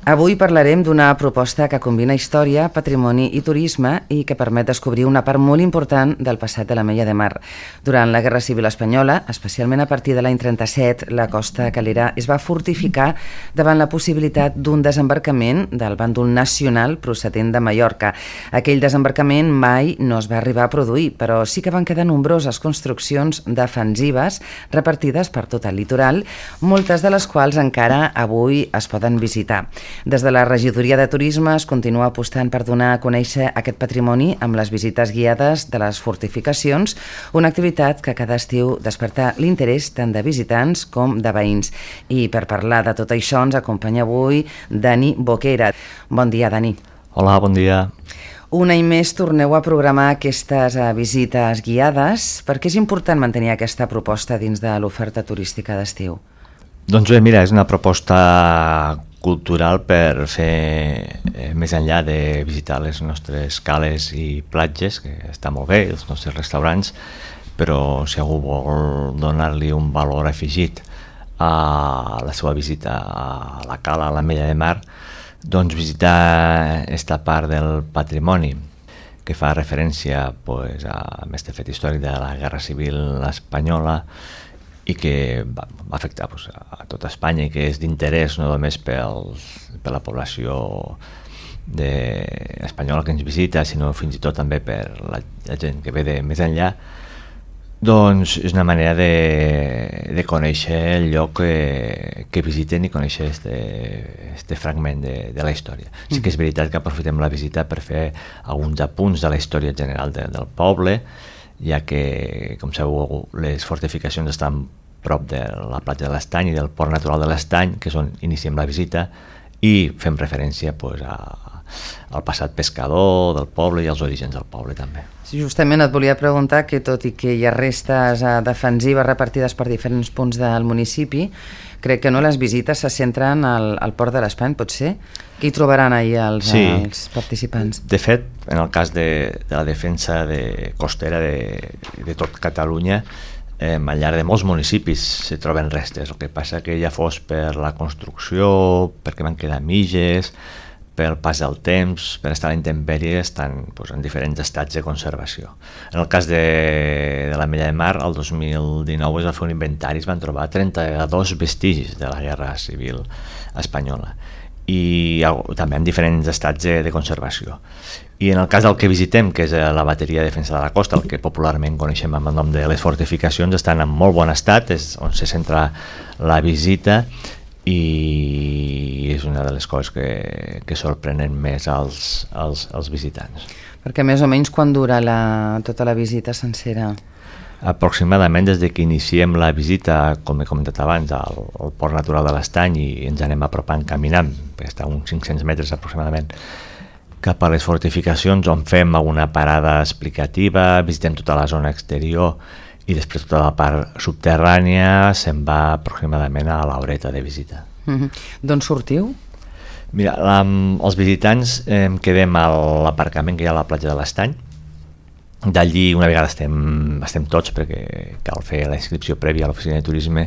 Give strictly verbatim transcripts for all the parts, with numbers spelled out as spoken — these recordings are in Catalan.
Avui parlarem d'una proposta que combina història, patrimoni i turisme i que permet descobrir una part molt important del passat de l'Ametlla de Mar. Durant la Guerra Civil Espanyola, especialment a partir de l'any trenta-set, la costa calera es va fortificar davant la possibilitat d'un desembarcament del bàndol nacional procedent de Mallorca. Aquell desembarcament mai no es va arribar a produir, però sí que van quedar nombroses construccions defensives repartides per tot el litoral, moltes de les quals encara avui es poden visitar. Des de la Regidoria de Turisme es continua apostant per donar a conèixer aquest patrimoni amb les visites guiades de les fortificacions, una activitat que cada estiu desperta l'interès tant de visitants com de veïns. I per parlar de tot això ens acompanya avui Dani Boquera. Bon dia, Dani. Hola, bon dia. Un any més torneu a programar aquestes visites guiades. Per què és important mantenir aquesta proposta dins de l'oferta turística d'estiu? Doncs bé, mira, és una proposta cultural per fer eh, més enllà de visitar les nostres cales i platges, que està molt bé, els nostres restaurants, però si algú vol donar-li un valor afegit a la seva visita a la cala, a l'Ametlla de Mar, doncs visitar aquesta part del patrimoni que fa referència pues, a aquest fet històric de la Guerra Civil Espanyola i que va, va afectar pues, a tota Espanya i que és d'interès no només pel, per la població de, espanyola que ens visita, sinó fins i tot també per la, la gent que ve de més enllà. Doncs és una manera de, de conèixer el lloc que, que visiten i conèixer aquest fragment de, de la història. Sí que és veritat que aprofitem la visita per fer alguns apunts de la història general de, del poble, ja que, com sabeu, les fortificacions estan prop de la platja de l'Estany i del port natural de l'Estany, que és on iniciem la visita, i fem referència pues, a, al passat pescador del poble i als orígens del poble també. Sí, justament et volia preguntar que tot i que hi ha restes defensives repartides per diferents punts del municipi, crec que no les visites se centren al, al port de l'Estany, pot ser? Què hi trobaran ahir els, sí. els participants? De fet, en el cas de, de la defensa de costera de, de tot Catalunya, eh, al llarg de molts municipis se troben restes. El que passa que ja fos per la construcció, perquè van quedar mitges, pel pas del temps, per estar a la intempèrie, estan pues, en diferents estats de conservació. En el cas de, de l'Ametlla de Mar, el dos mil dinou es va fer un inventari, es van trobar trenta-dos vestigis de la Guerra Civil Espanyola i també en diferents estats de, de conservació. I en el cas del que visitem, que és la bateria de defensa de la costa, el que popularment coneixem amb el nom de les fortificacions, estan en molt bon estat, és on se centra la visita i és una de les coses que, que sorprenen més als, als, als visitants. Perquè més o menys quan dura la, tota la visita sencera? Aproximadament des de que iniciem la visita, com he comentat abans, al, al port natural de l'Estany i ens anem apropant caminant, perquè està a uns cinc-cents metres aproximadament, cap a les fortificacions on fem alguna parada explicativa, visitem tota la zona exterior i després tota la part subterrània se'n va aproximadament a l'horeta de visita. Mm-hmm. D'on sortiu? Mira, la, els visitants eh, quedem a l'aparcament que hi ha a la platja de l'Estany. D'allí, una vegada estem, estem tots, perquè cal fer la inscripció prèvia a l'oficina de turisme,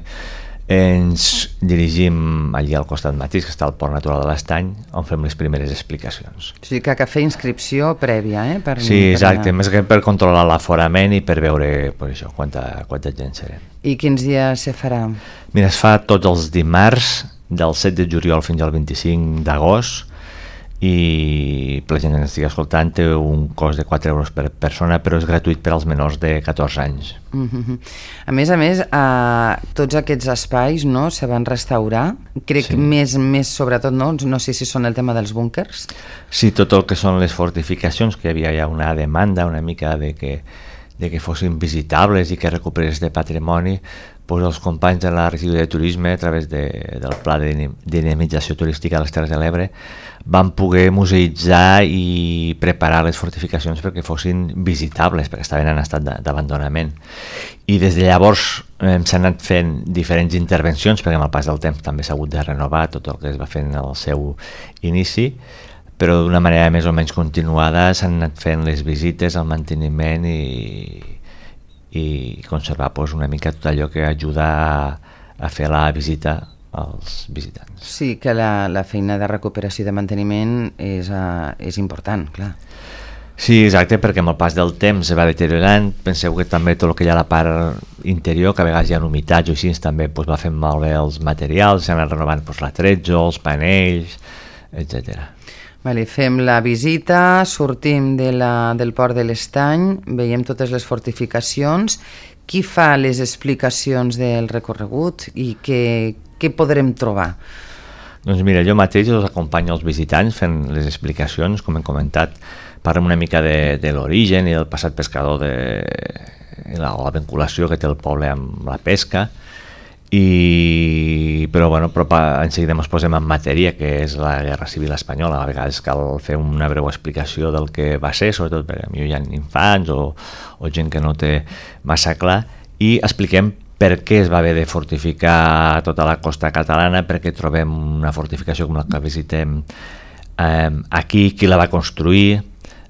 ens dirigim allí al costat mateix, que està al port natural de l'Estany, on fem les primeres explicacions. O sigui que cal fer inscripció prèvia, eh? Per, sí, exacte, per més que per controlar l'aforament i per veure pues, això, quanta, quanta gent serem. I quins dies se farà? Mira, es fa tots els dimarts, del set de juliol fins al vint-i-cinc d'agost, i per la gent que ens estigui escoltant té un cost de quatre euros per persona, però és gratuït per als menors de catorze anys. Mm-hmm. A més a més, eh, tots aquests espais no, se van restaurar, crec sí. més, més sobretot, no? no sé si són el tema dels búnkers. Sí, tot el que són les fortificacions, que hi havia ja una demanda una mica de que, de que fossin visitables i que recuperés de patrimoni, doncs els companys de la Regidoria de Turisme, a través de, del Pla de Dinamització Turística de les Terres de l'Ebre, van poder museïtzar i preparar les fortificacions perquè fossin visitables, perquè estaven en estat d'abandonament. I des de llavors eh, s'han anat fent diferents intervencions, perquè amb el pas del temps també s'ha hagut de renovar tot el que es va fent al seu inici, però d'una manera més o menys continuada s'han anat fent les visites, el manteniment i i conservar pues, una mica tot allò que ajuda a, a fer la visita als visitants. Sí, que la, la feina de recuperació i de manteniment és, uh, és important, clar. Sí, exacte, perquè amb el pas del temps se va deteriorant. Penseu que també tot el que hi ha a la part interior, que a vegades hi ha humitats o així, també pues, va fent malbé els materials, s'han anat renovant pues, l'atretzo, els panells, etcètera. Vale, fem la visita, sortim de la, del port de l'Estany, veiem totes les fortificacions. Qui fa les explicacions del recorregut i què, què podrem trobar? Doncs mira, jo mateix els acompanyo als visitants fent les explicacions, com hem comentat, parlem una mica de, de l'origen i del passat pescador, de la, la vinculació que té el poble amb la pesca, i però bueno, però en seguida ens posem en matèria, que és la Guerra Civil Espanyola. A vegades cal fer una breu explicació del que va ser, sobretot perquè potser hi ha infants o, o gent que no té massa clar, i expliquem per què es va haver de fortificar tota la costa catalana, perquè trobem una fortificació com la que visitem eh, aquí, qui la va construir,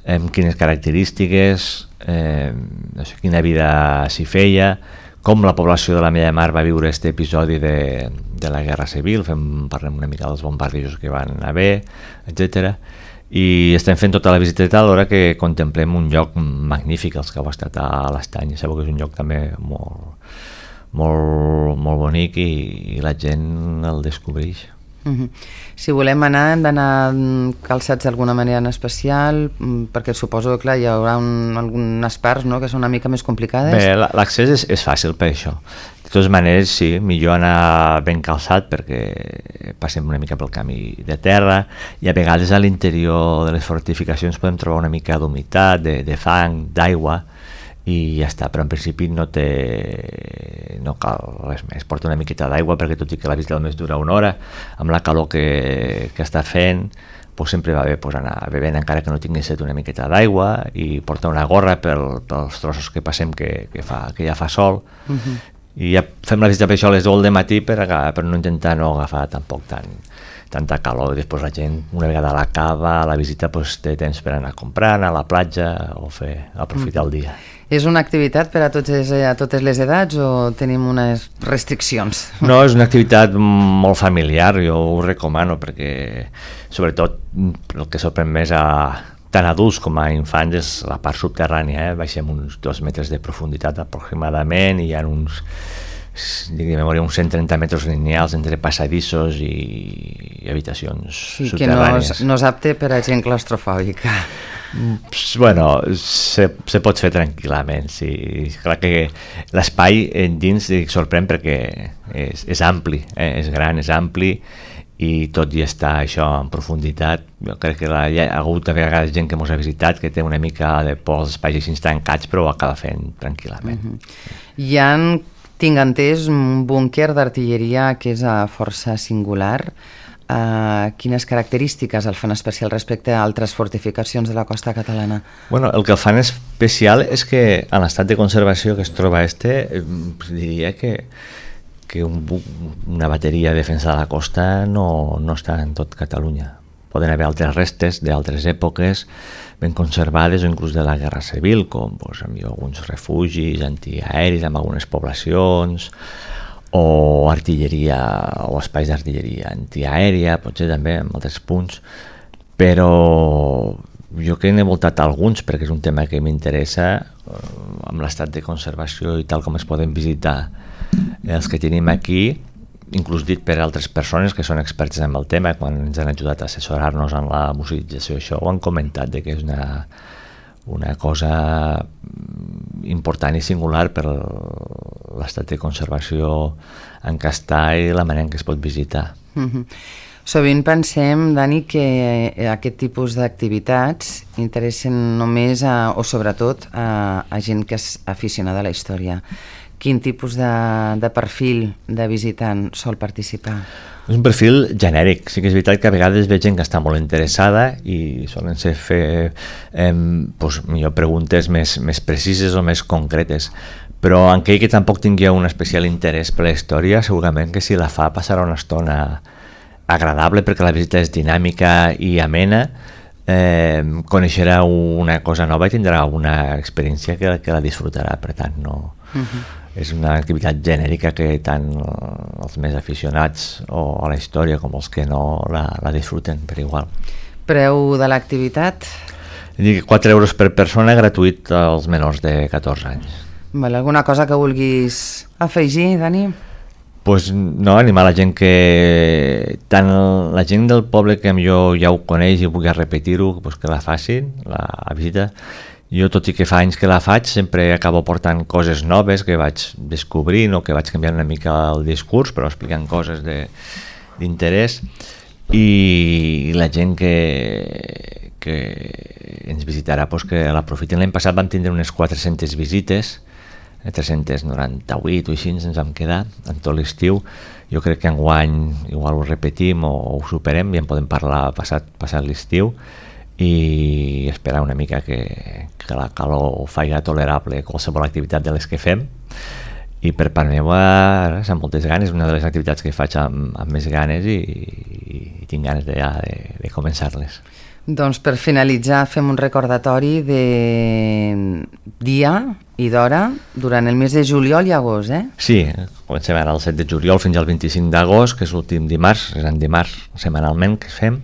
eh, quines característiques, eh, no sé, quina vida s'hi feia, com la població de la Mella de Mar va viure aquest episodi de, de la Guerra Civil, fem, parlem una mica dels bombardejos que van haver, etcètera. I estem fent tota la visita alhora que contemplem un lloc magnífic, els que heu estat a l'Estany. Sabeu que és un lloc també molt, molt, molt bonic i, i la gent el descobreix. Uh-huh. Si volem anar, hem d'anar calçats d'alguna manera en especial, perquè suposo que clar, hi haurà un, algunes parts, no?, que són una mica més complicades. Bé, l'accés és, és fàcil per això. De totes maneres, sí, millor anar ben calçat perquè passem una mica pel camí de terra i a vegades a l'interior de les fortificacions podem trobar una mica d'humitat, de, de fang, d'aigua, i ja està, però en principi no té no cal res més. Porta una miqueta d'aigua perquè tot i que la visita només dura una hora, amb la calor que, que està fent, pues sempre va bé pues, anar bevent encara que no tinguis set una miqueta d'aigua, i portar una gorra pel, pels trossos que passem que, que, fa, que ja fa sol. Uh-huh. I ja fem la visita per això a les deu del matí per, per no intentar no agafar tampoc tant tanta calor. Després la gent, una vegada a la cava, a la visita pues, té temps per anar a comprar, anar a la platja o fer aprofitar el dia. És una activitat per a, tots, a totes les edats o tenim unes restriccions? No, és una activitat molt familiar, jo ho recomano perquè sobretot el que sorprèn més a tant adults com a infants és la part subterrània, eh? Baixem uns dos metres de profunditat aproximadament i hi ha uns de memòria uns cent trenta metres lineals entre passadissos i, i habitacions sí, subterrànies. Sí, que no és, no és apte per a gent claustrofòbica. Bueno, se, se pot fer tranquil·lament, sí. Clar que l'espai dins sorprèn perquè és, és ampli, eh? És gran, és ampli, i tot i està això en profunditat, jo crec que la, hi ha hagut a vegades gent que ens ha visitat que té una mica de por als espais així tancats, però ho acaba fent tranquil·lament. Uh-huh. Hi ha, tinc entès, un búnquer d'artilleria que és a força singular. Uh, quines característiques el fan especial respecte a altres fortificacions de la costa catalana? Bueno, el que el fan especial és que en l'estat de conservació que es troba este, eh, diria que que un, una bateria de defensa de la costa no, no està en tot Catalunya. Poden haver altres restes d'altres èpoques ben conservades o inclús de la Guerra Civil, com pues, alguns refugis antiaeris en algunes poblacions, o artilleria o espais d'artilleria antiaèria, potser també en altres punts, però jo que n'he voltat alguns perquè és un tema que m'interessa, amb l'estat de conservació i tal com es poden visitar els que tenim aquí, inclús dit per altres persones que són experts en el tema, quan ens han ajudat a assessorar-nos en la museïtzació, això ho han comentat, de que és una, una cosa important i singular per l'estat de conservació en què està i la manera en què es pot visitar. Mm-hmm. Sovint pensem, Dani, que aquest tipus d'activitats interessen només a, o sobretot a, a gent que és aficionada a la història. Quin tipus de, de perfil de visitant sol participar? És un perfil genèric. Sí que és veritat que a vegades veig gent que està molt interessada i solen ser fer eh, doncs, millor preguntes més, més precises o més concretes. Però aquell que tampoc tingui un especial interès per la història, segurament que si la fa passarà una estona agradable perquè la visita és dinàmica i amena, eh, coneixerà una cosa nova i tindrà una experiència que, que la disfrutarà, per tant no... Uh-huh. és una activitat genèrica que tant els més aficionats o a la història com els que no la, la disfruten per igual. Preu de l'activitat? quatre euros per persona, gratuït als menors de catorze anys. Vale, alguna cosa que vulguis afegir, Dani? Pues no, animar la gent que... tant la gent del poble que jo ja ho coneix i vulgui repetir-ho, pues que la facin, la visita. Jo, tot i que fa anys que la faig, sempre acabo portant coses noves que vaig descobrint o que vaig canviant una mica el discurs, però explicant coses d'interès. I la gent que, que ens visitarà, pues que l'aprofitin. L'any passat vam tindre unes quatre-centes visites, tres-centes noranta-vuit o així ens vam quedar en tot l'estiu. Jo crec que enguany igual ho repetim o ho superem i en podem parlar passat, passat l'estiu i esperar una mica que, que la calor faci tolerable qualsevol activitat de les que fem. I per part meva, amb moltes ganes, una de les activitats que faig amb, amb més ganes i, i, i tinc ganes de, ja, de, de començar-les. Doncs per finalitzar fem un recordatori de dia i d'hora durant el mes de juliol i agost, eh? Sí, comencem ara el set de juliol fins al vint-i-cinc d'agost, que és l'últim dimarts, és en dimarts setmanalment que fem,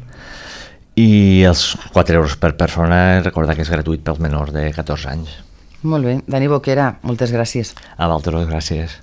i els quatre euros per persona, recordar que és gratuït pels menors de catorze anys. Molt bé, Dani Boquera, moltes gràcies. A vosaltres, gràcies.